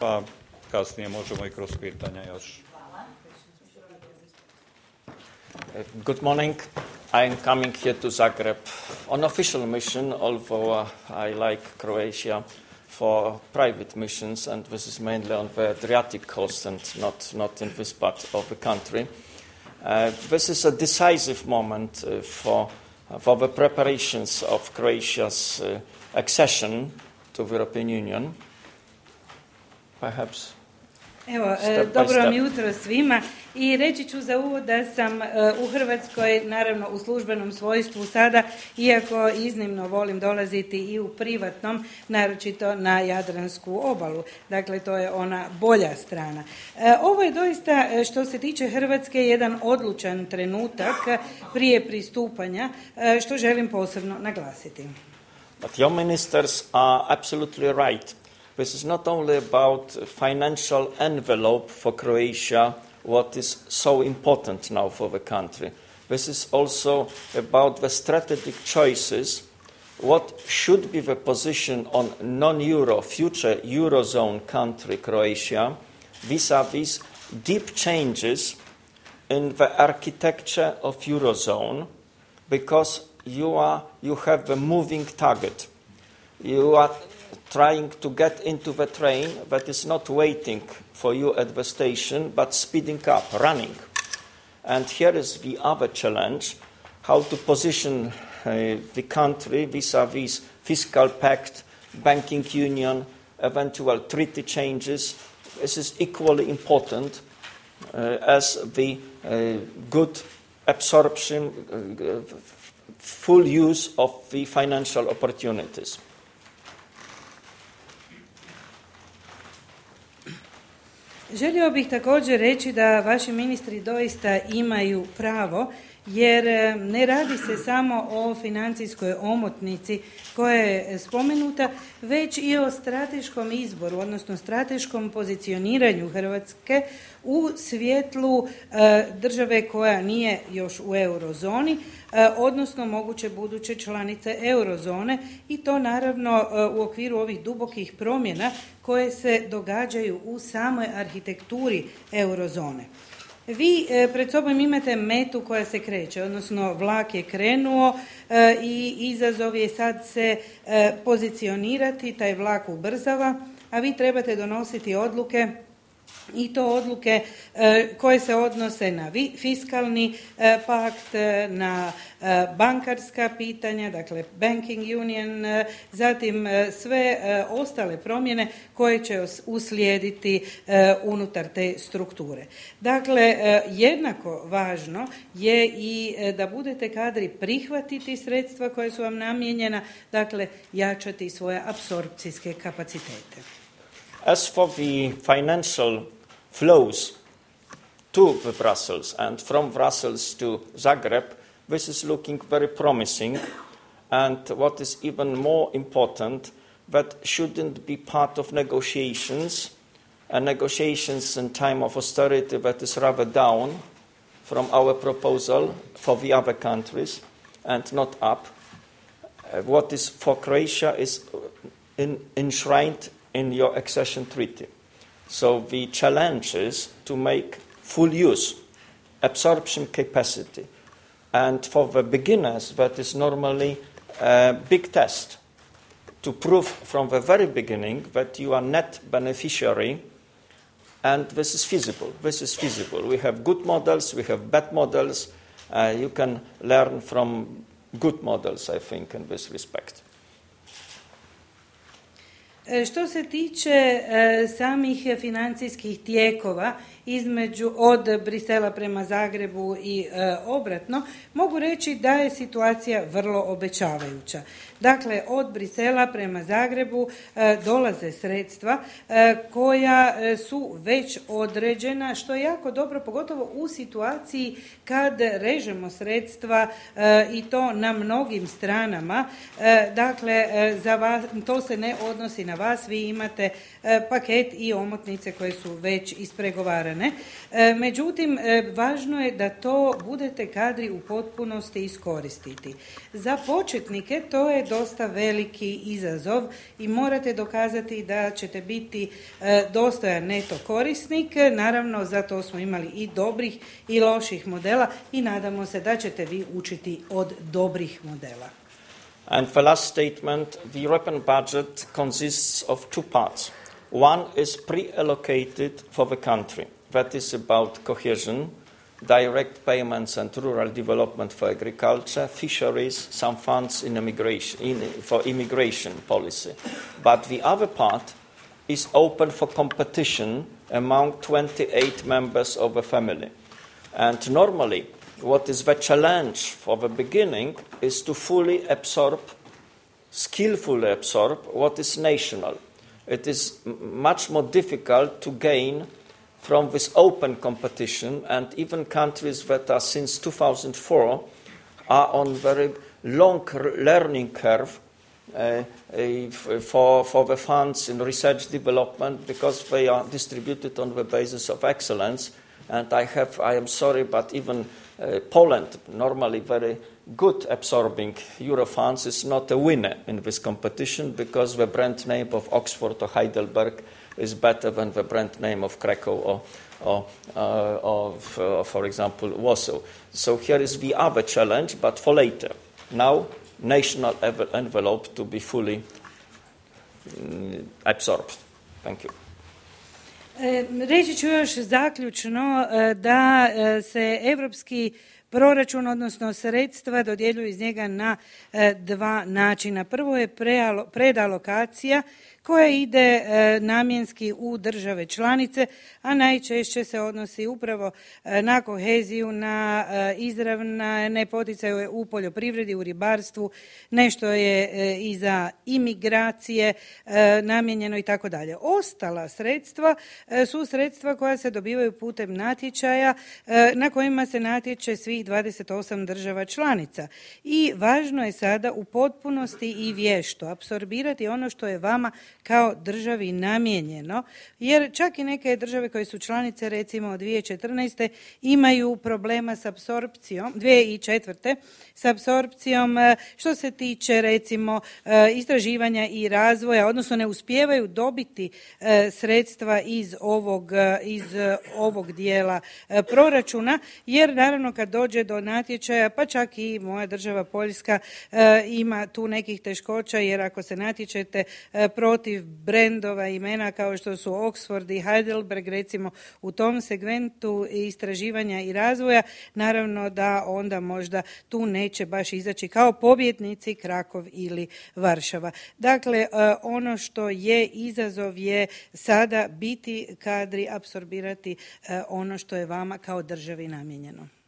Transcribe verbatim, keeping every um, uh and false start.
Pa kasnije možemo i kroz pitanja još. Good morning. I'm coming here to Zagreb on official mission, although uh, I like Croatia for private missions, and this is mainly on the Adriatic coast and not, not in this part of the country. Uh, this is a decisive moment uh, for, uh, for the preparations of Croatia's uh, accession to the European Union. Perhaps. Evo, dobro vam jutro svima i reći ću za uvod da sam u Hrvatskoj, naravno u službenom svojstvu sada, iako iznimno volim dolaziti i u privatnom, naročito na Jadransku obalu. Dakle, to je ona bolja strana. Ovo je doista, što se tiče Hrvatske, jedan odlučan trenutak prije pristupanja, što želim posebno naglasiti. But your ministers are absolutely right. This is not only about financial envelope for Croatia, what is so important now for the country. This is also about the strategic choices, what should be the position on non-euro, future eurozone country Croatia, vis-a-vis deep changes in the architecture of eurozone, because you are you have the moving target. You are trying to get into the train that is not waiting for you at the station, but speeding up, running. And here is the other challenge, how to position uh, the country vis-a-vis fiscal pact, banking union, eventual treaty changes. This is equally important uh, as the uh, good absorption, uh, full use of the financial opportunities. Želio bih također reći da vaši ministri doista imaju pravo, jer ne radi se samo o financijskoj omotnici koja je spomenuta, već i o strateškom izboru, odnosno strateškom pozicioniranju Hrvatske u svjetlu e, države koja nije još u eurozoni, e, odnosno moguće buduće članice eurozone, i to naravno e, u okviru ovih dubokih promjena koje se događaju u samoj arhitekturi eurozone. Vi e, pred sobom imate metu koja se kreće, odnosno vlak je krenuo e, i izazov je sad se e, pozicionirati, taj vlak ubrzava, a vi trebate donositi odluke, i to odluke e, koje se odnose na vi, fiskalni e, pakt, na e, bankarska pitanja, dakle banking union, e, zatim e, sve e, ostale promjene koje će uslijediti e, unutar te strukture. Dakle, e, jednako važno je i e, da budete kadri prihvatiti sredstva koja su vam namijenjena, dakle jačati svoje apsorpcijske kapacitete. As for the financial flows to the Brussels and from Brussels to Zagreb, this is looking very promising, and what is even more important, that shouldn't be part of negotiations, and negotiations in time of austerity that is rather down from our proposal for the other countries and not up. Uh, what is for Croatia is in, enshrined in your accession treaty. So the challenge is to make full use, absorption capacity. And for the beginners, that is normally a big test to prove from the very beginning that you are net beneficiary, and this is feasible. This is feasible. We have good models, we have bad models. Uh, you can learn from good models, I think, in this respect. Što se tiče e, samih financijskih tijekova između od Brisela prema Zagrebu i e, obratno, mogu reći da je situacija vrlo obećavajuća. Dakle, od Brisela prema Zagrebu e, dolaze sredstva e, koja su već određena, što je jako dobro, pogotovo u situaciji kad režemo sredstva e, i to na mnogim stranama. E, dakle, e, za vas, to se ne odnosi na vas, vi imate e, paket i omotnice koje su već ispregovarane. E, međutim, e, važno je da to budete kadri u potpunosti iskoristiti. Za početnike to je dosta veliki izazov i morate dokazati da ćete biti e, dostojan neto korisnik. Naravno, zato smo imali i dobrih i loših modela i nadamo se da ćete vi učiti od dobrih modela. And the last statement, the European budget consists of two parts. One is pre-allocated for the country. That is about cohesion, direct payments and rural development for agriculture, fisheries, some funds in immigration, in, for immigration policy. But the other part is open for competition among twenty-eight members of a family. And normally, what is the challenge for the beginning is to fully absorb, skillfully absorb what is national. It is much more difficult to gain from this open competition, and even countries that are since two thousand four are on very long learning curve uh, uh, for, for the funds in research development, because they are distributed on the basis of excellence. And I have, I am sorry, but even uh, Poland, normally very good absorbing Euro funds, is not a winner in this competition, because the brand name of Oxford or Heidelberg is better than the brand name of Krakow or, or, uh, or, uh, for example, Warsaw. So here is the other challenge, but for later. Now, national envelope to be fully um, absorbed. Thank you. Reći ću još zaključno da se europski proračun, odnosno sredstva, dodjeljuju iz njega na dva načina. Prvo je predalokacija koja ide namjenski u države članice, a najčešće se odnosi upravo na koheziju, na izravne poticaje u poljoprivredi, u ribarstvu, nešto je i za imigracije namijenjeno i tako dalje. Ostala sredstva su sredstva koja se dobivaju putem natječaja na kojima se natječe svih dvadeset osam država članica. I važno je sada u potpunosti i vješto apsorbirati ono što je vama kao državi namijenjeno, jer čak i neke države koje su članice, recimo od dvije tisuće četrnaeste imaju problema s apsorpcijom, dvije tisuće četvrte s apsorpcijom što se tiče recimo istraživanja i razvoja, odnosno ne uspijevaju dobiti sredstva iz ovog, iz ovog dijela proračuna, jer naravno kad dođe do natječaja, pa čak i moja država Poljska ima tu nekih teškoća, jer ako se natječete protiv brendova imena kao što su Oxford i Heidelberg, recimo u tom segmentu istraživanja i razvoja, naravno da onda možda tu neće baš izaći kao pobjednici Krakov ili Varšava. Dakle, ono što je izazov je sada biti kadri apsorbirati ono što je vama kao državi namijenjeno.